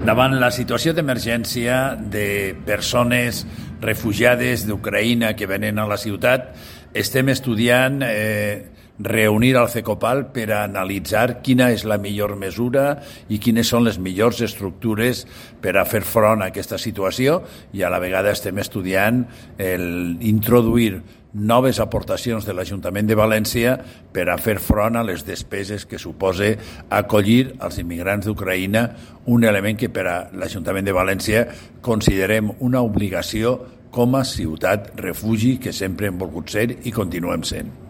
Davant la situació d'emergència de persones refugiades d'Ucraïna que venen a la ciutat, estem estudiant reunir al CECOPAL per a analitzar quina és la millor mesura i quines són les millors estructures per a fer front a aquesta situació, i a la vegada estem estudiant introduir noves aportacions de l'Ajuntament de València per a fer front a les despeses que suposa acollir els immigrants d'Ucraïna, un element que per a l'Ajuntament de València considerem una obligació com a ciutat refugi que sempre hem volgut ser i continuem sent.